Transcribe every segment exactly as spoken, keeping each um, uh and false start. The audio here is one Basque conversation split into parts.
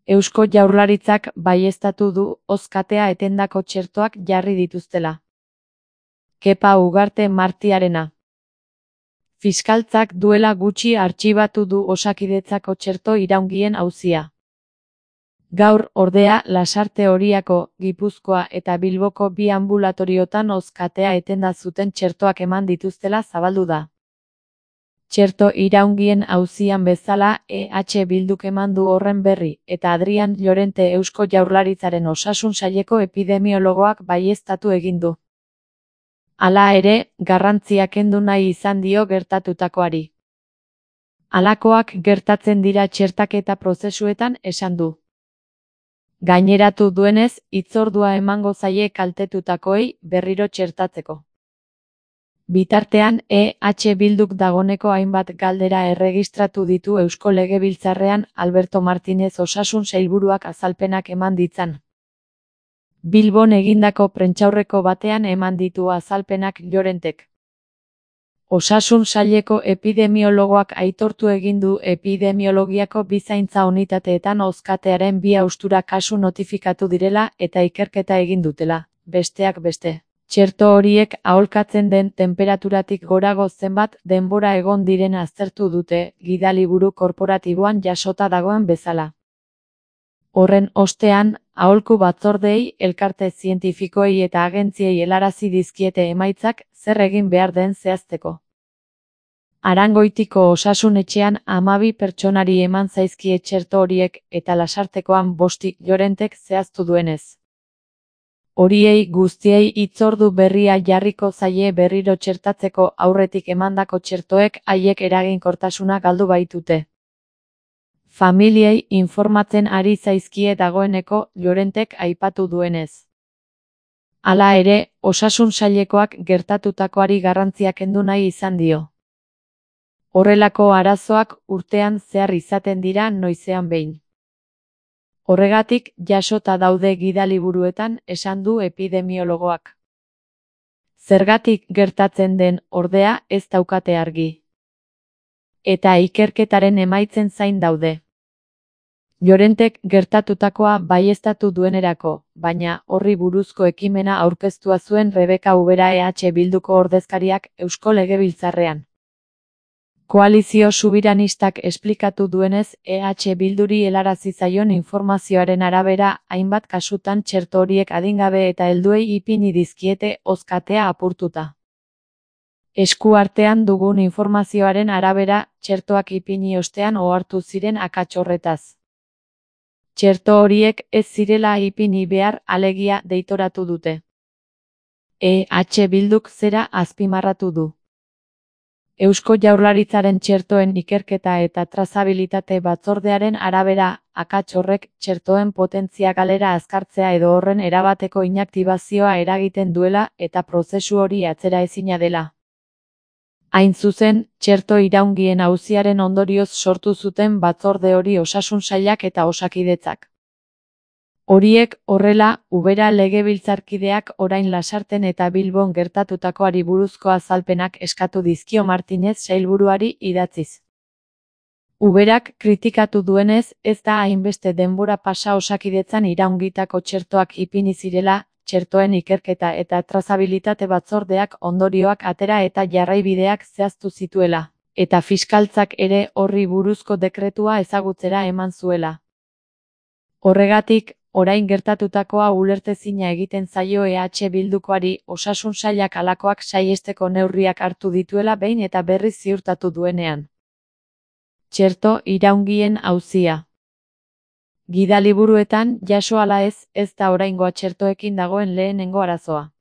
Eusko Jaurlaritzak baieztatu du hozkatea etendako txertoak jarri dituztela. Kepa Ugarte Martiarena. Fiskaltzak duela gutxi artxibatu du Osakidetzako txerto iraungien auzia. Gaur, ordea, Lasarte Oriako, Gipuzkoa eta Bilboko bi ambulatoriotan hozkatea etenda zuten txertoak eman dituztela zabaldu da. Txerto iraungien auzian bezala E H Bilduk eman du horren berri, eta Adrian Llorente Eusko Jaurlaritzaren Osasun Saileko epidemiologoak baieztatu egin du. Hala ere, garrantzia kendu nahi izan dio gertatutakoari. Halakoak gertatzen dira txertaketa prozesuetan, esan du. Gaineratu duenez, hitzordua emango zaie kaltetutakoei berriro txertatzeko. Bitartean, E H Bilduk dagoneko hainbat galdera erregistratu ditu Eusko Legebiltzarrean Alberto Martinez Osasun Sailburuak azalpenak eman ditzan. Bilbon egindako prentsaurreko batean eman ditu azalpenak Llorentek. Osasun Saileko epidemiologoak aitortu egin du epidemiologiako bi zaintza unitateetan hozkatearen bi haustura kasu notifikatu direla eta ikerketa egin dutela, besteak beste. Txerto horiek aholkatzen den tenperaturatik gorago zenbat denbora egon diren aztertu dute, gidaliburu korporatiboan jasota dagoen bezala. Horren ostean, aholku batzordeei, elkarte zientifikoei eta agentziei helarazi dizkiete emaitzak zer egin behar den zehazteko. Arangoitiko osasun etxean hamabi pertsonari eman zaizkie txerto horiek eta Lasartekoan bosti, Llorentek zehaztu duenez. Horiei guztiei hitzordu berria jarriko zaie berriro txertatzeko aurretik emandako txertoek haiek eraginkortasuna galdu baitute. Familiei informatzen ari zaizkie dagoeneko Llorentek aipatu duenez. Hala ere, Osasun Sailekoak gertatutakoari garrantzia kendu nahi izan dio. Horrelako arazoak urtean zehar izaten dira noizean behin. Horregatik, jasota daude gidaliburuetan, esan du epidemiologoak. Zergatik gertatzen den, ordea, ez daukate argi. Eta ikerketaren emaitzen zain daude. Llorentek gertatutakoa baieztatu duenerako, baina horri buruzko ekimena aurkeztua zuen Rebeka Ubera E H Bilduko ordezkariak Eusko Legebiltzarrean. Koalizio subiranistak esplikatu duenez, E H Bilduri helarazi zaion informazioaren arabera, hainbat kasutan txerto horiek adingabe eta helduei ipini dizkiete hozkatea apurtuta. Esku artean dugun informazioaren arabera, txertoak ipini ostean ohartu ziren akats horretaz. Txerto horiek ez zirela ipini behar alegia deitoratu dute. E H Bilduk zera azpimarratu du. Eusko Jaurlaritzaren txertoen ikerketa eta trazabilitate batzordearen arabera, akats horrek txertoen potentzia galera azkartzea edo horren erabateko inaktibazioa eragiten duela eta prozesu hori atzera ezina dela. Hain zuzen, txerto iraungien auziaren ondorioz sortu zuten batzorde hori Osasun Sailak eta Osakidetzak. Horiek, horrela, Ubera legebiltzarkideak orain Lasarten eta Bilbon gertatutakoari buruzko azalpenak eskatu dizkio Martinez sailburuari idatziz. Uberak kritikatu duenez, ez da hainbeste denbora pasa Osakidetzan iraungitako txertoak ipini zirela, txertoen ikerketa eta trazabilitate batzordeak ondorioak atera eta jarraibideak zehaztu zituela, eta fiskaltzak ere horri buruzko dekretua ezagutzera eman zuela. Horregatik, orain gertatutakoa ulertezina egiten zaio E H Bildukoari Osasun Sailak halakoak saihesteko neurriak hartu dituela behin eta berriz ziurtatu duenean. Txerto iraungien auzia. Gidaliburuetan jaso ala ez, ez da oraingoa txertoekin dagoen lehenengo arazoa.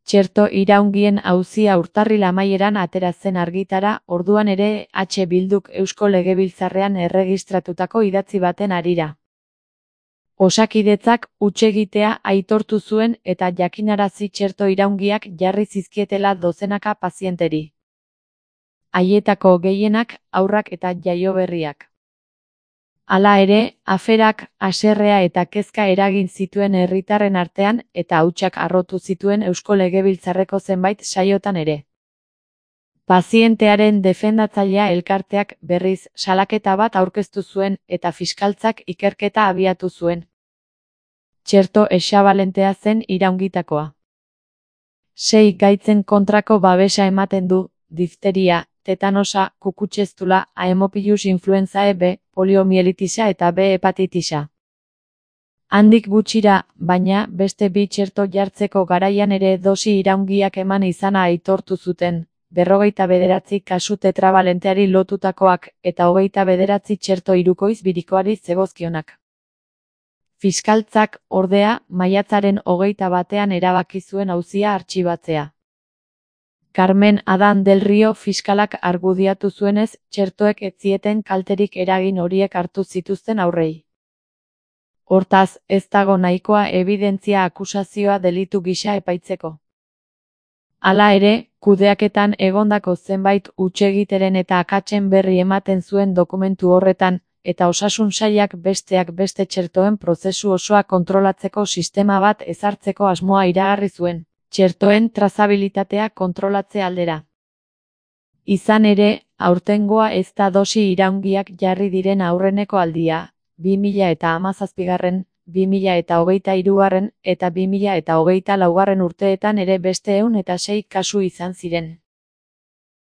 Txerto iraungien auzia urtarril amaieran atera zen argitara, orduan ere E H Bilduk Eusko Legebiltzarrean erregistratutako idatzi baten harira. Osakidetzak hutsegitea aitortu zuen eta jakinarazi txerto iraungiak jarri zizkietela dozenaka pazienteri. Haietako gehienak, haurrak eta jaioberriak. Hala ere, aferak, haserrea eta kezka eragin zituen herritarren artean eta hautsak harrotu zituen Eusko Legebiltzarreko zenbait saiotan ere. Pazientearen defendatzailea elkarteak berriz salaketa bat aurkeztu zuen eta fiskaltzak ikerketa abiatu zuen. Txerto hexabalentea zen iraungitakoa. Sei gaitzen kontrako babesa ematen du, difteria, tetanosa, kukutxeztula, Haemophilus influenzae B, poliomielitisa eta B hepatitisa. Handik gutxira, baina, beste bi txerto jartzeko garaian ere dosi iraungiak eman izana aitortu zuten, berrogeita bederatzi kasu tetrabalenteari lotutakoak eta hogeita bederatzi txerto hirukoiz birikoari zegozkionak. Fiskaltzak, ordea, maiatzaren hogeita batean erabaki zuen auzia artxibatzea. Carmen Adán del Rio fiskalak argudiatu zuenez, txertoek ez zieten kalterik eragin horiek hartu zituzten aurrei. Hortaz, ez dago nahikoa ebidentzia akusazioa delitu gisa epaitzeko. Hala ere, kudeaketan egondako zenbait hutsegiteren eta akatsen berri ematen zuen dokumentu horretan, eta osasun sailak besteak beste txertoen prozesu osoa kontrolatzeko sistema bat ezartzeko asmoa iragarri zuen, txertoen trazabilitatea kontrolatze aldera. Izan ere, aurtengoa ez da dosi iraungiak jarri diren aurreneko aldia, bi mila eta hamazazpigarren, bi mila eta hogeita hirugarren eta bi mila eta hogeita laugarren urteetan ere beste ehun eta sei kasu izan ziren.